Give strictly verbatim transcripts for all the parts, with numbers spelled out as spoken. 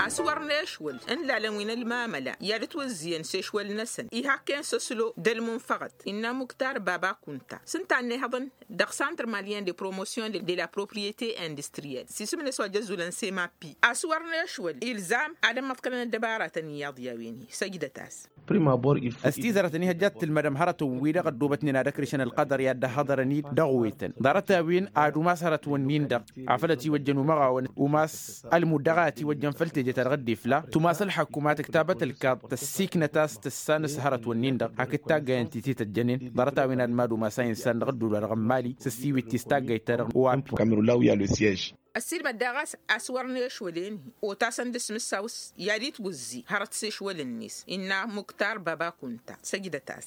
A-s wăr n-ešwăl n-lalăn wi n-ălmamăla i-ad-ǝtwǝzzǝyăn s-ešwăl-năsăn ihakken s-ăslo d-ălmunfăɣăt. Innă muktar baba kunta s-ǝnta a ănnihăḍăn dăɣ-santr malyen de promosyon de la propriyete industriyel s-isǝm-net wa jăzzulăn semapi. A-s wăr n-ešwăl ilzam ad-ămmăḍkălăn ăddăbaratăn iyyăḍ i-a-wen-hi săjdăt-as. Ăstizărătăn ihăjja ad-tǝlmădăm hărătăn-wi-dăɣ ăddoobătnen ad-ăkrǝšăn ălqădăr i-ad-dd-ăhhăḍărăn-dd dăɣ-wetăn ḍarăt-a-wen ad-umas hărătwăn-nin-dăɣ afăl ătiwăjjăn umăɣawăn umas ălmud dăɣ-a-tiwăjjăn făll-teje-ta-dăɣ dd-ifla tumas ălḥăkkumat ǝktabăt ălkaḍ tăssiiknăt a-s tǝssan s-hărătwăn-nin-dăɣ hakd taggayăn ti t-tăjjănen ḍarăt-a-wen ad-mad-umas a insan dăɣ-ădduul wa dăɣ-n mali s-ăssiwit-t s-taggayt-ta-dăɣ n-oapi. Ăssiilmăd daɣ a-s a-s wăr n-ešwăl-en-hi otasăn d-asmǝssaw s-i-ad-itwǝzzi hărăt s-ešwăl-net innă muktar baba kunta săjdăt-as.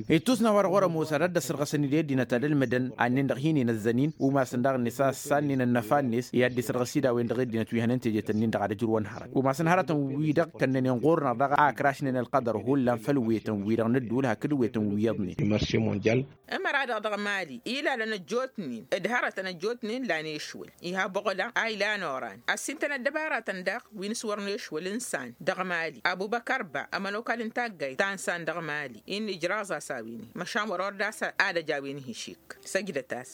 Ittus n-a-wa-dăɣ wăr-ămoos ad-dd-ăssărɣăsăn-dd i-ăddinăt ad-ălmǝdăn annen-dăɣ hin-inăzzăn-in umasăn daɣ-net a ăssannen ănnăfa-net i-ad-dd-isărɣǝs-dd a-wen-dăɣ i-ăddinăt wi hănen teje-tăn-in-dăɣ ad-ǝjrǝwăn hărăt umasăn hărătăn-wi-dăɣ kănnănen ɣur-năɣ daɣ a ǝkrašnen ălqădăr hullan făll-wetăn-wi-dăɣ n-ădduul hakd wetăn wi iyyăḍnen. Ămăra-dăɣ dăɣ-mali ilalăn ăjjootnen d-hărătăn ăjjootnen lan ešwăl iha boɣla a ilan oran ăssintăn ăddăbaratăn daɣ wi n-s-wăr n-ešwăl n-san dăɣ-mali abubăkăr ba ămănokal n-taggayt ta n-san dăɣ-mali. Innă ijraẓ-as a-wen-hi măšan wăr-ordas ad-ăj a-wen-hi šik săjdăt-as.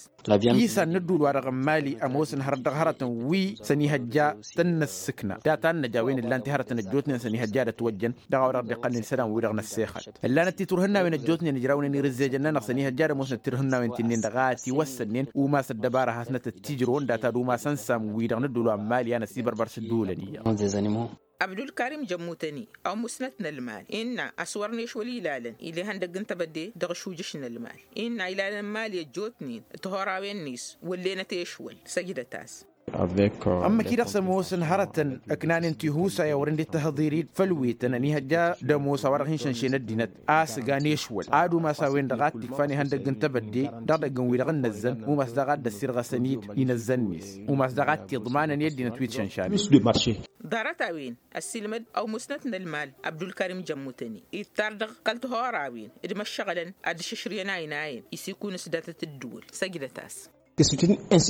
Isan n-ădduul-wa-dăɣ n-mali ămoosăn hărăt dăɣ-hărătăn wi s-ănihăjja tăn-năssǝkna data n-năj a-wen ǝllan-t i-hărătăn ăjjootnen s-ănihăjja ad-ătwăjjăn dăɣ-a-wa-dăɣ dd-iqqălnen isălan-wi-dăɣ n-ăssexăt. Ǝllanăt titurhǝnnawen ăjjootnen ǝjrawnen irǝzzejăn-nănăɣ s-ănihăjja ad-ămoosnăt tirhǝnnawen ti-nin-dăɣ a ătiwăssănnen umas ăddăbara hasnăt ăttijrăwăn data d-umas ănsam-wi-dăɣ n-ădduul wa n-mali a năsibărbăr s-ǝdduulăn iyyăḍ. Abdulkarim jămmutăni ăwmusnăt n-ălmal innă a-s wăr n-ešwăl ilalăn ila ihăndăgg n-tebădde dăɣ-ašujǝš n-ălmal innă ilalăn mali ăjjootnen d-tihorawen-net wăllenăt ešwăl săjdăt-as. Ămmăk-i-dăɣ s-ămoosăn hărătăn ǝknanen tihusa i-a wăren dd-tăhǝḍir-dd făll-wetăn ănihăjja d-ămoos a-wa-dăɣ hin-šănšen ăddinăt a-s ǝgan ešwăl ad-umas a-wen-dăɣ a t-ikfan ihăndăgg n-tebădde dăɣ-idăgg n-wi-dăɣ n-inăzzăn umas daɣ a dd-ăssirɣăsăn-dd inăzzăn-net umas daɣ a t-iḍmanăn i-ăddinăt wi t-šănšanen. Ḍarăt-a-wen ăssiilmăd ăwmusnăt n-ălmal abdulkarim jămmutăni ittar dăɣ-kăl-tihorawen d-imăššăɣǝlăn ad-dd-išǝšrǝyăn ayǝn ayǝn isikun s-datăt ǝddǝwǝl săjdăt-as.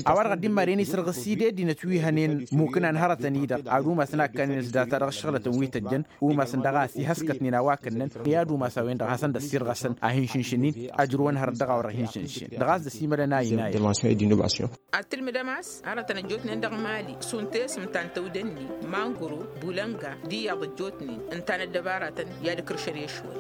A-wa-dăɣ ăddimmaren isărɣǝs-dd i-ăddinăt wi hănen mukǝnan hărătăn-i-dăɣ ad-umasăn a ǝkkanen s-data dăɣ-ǝššăɣlătăn wi tăjjăn umasăn daɣ a ăsihăskătnen a-wa kănnăn i-ad-umas a-wen-dăɣ a hasăn-dd-ăssirɣăsăn a hin-šǝnšǝn-in ăjrǝwăn hărăt dăɣ-a-wa-dăɣ hin-šǝnšǝn dăɣ-a-s dăr-s imălăn a inayăn. Ad-tǝlmǝdăm a-s hărătăn ăjjootnen dăɣ-mali šund tesǝm ta n-tăwdănni mangoro bulănga d-iyyăḍ ăjjootnen ǝnta n-ăddăbaratăn i-ad-ǝkrǝšăn i-ešwăl.